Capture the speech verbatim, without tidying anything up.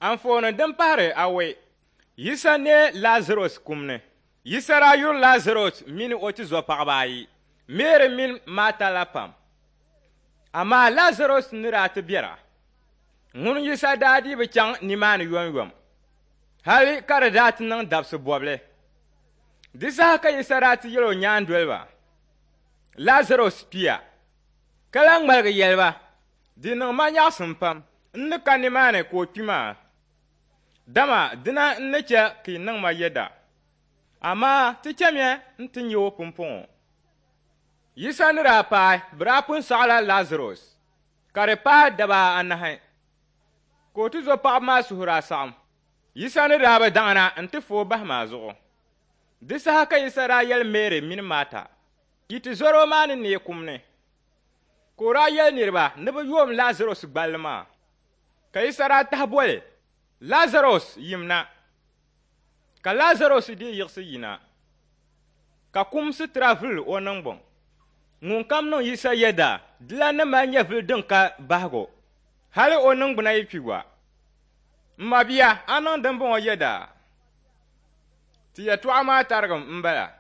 Anfooni din pahiri awɔi, Yisa neei Lazarɔs kum ni. Yisa daa yuri Lazarɔs mini o tizɔpaɣiba ayi, Meri mini Maata la pam. Amaa Lazarɔs ni daa ti biɛra, ŋun Yisa daa dii bi chaŋ nimaani yomyom, hali ka di daa ti niŋ dabisi bɔbili. Di saha ka Yisa daa ti yɛl o nyaandoliba, Lazarɔs kpiya, ka lan ŋmaligi yɛli ba, Di niŋ ma nyaɣisim pam n ni ka nimaani ka o kpi maa, dama dina n-ni chɛ ka yi niŋ ma yɛda. Amaa ti chamiya nti nya o pumpɔŋɔ. Yisa ni daa paai, bɛ daa pun sɔɣila Lazarɔs, ka di paai daba anahi, ka o tizɔpaɣiba maa suhu daa saɣim. Yisa ni daa bi daŋna nti fa o bahi maa zuɣu. Di saha ka Yisa daa yɛli Meri mini Maata, Yi tizɔro maa ni neei kum ni. Ka o daa yɛli niriba ni bɛ yoom Lazarɔs gballi maa. Ka Yisa daa tahi boli, Lazarɔs, yimna! Ka Lazarɔs dii yiɣisi yina, ka kum sitira vuli o niŋgbuŋ. Ŋunkam niŋ Yisa yɛda, dilan ni mali nyɛvili din ka bahigu, hali o niŋgbuna yi kpi gba. M mabia, a niŋ dimbɔŋɔ yɛda? Ti yɛtɔɣa maa tarigim m-bala.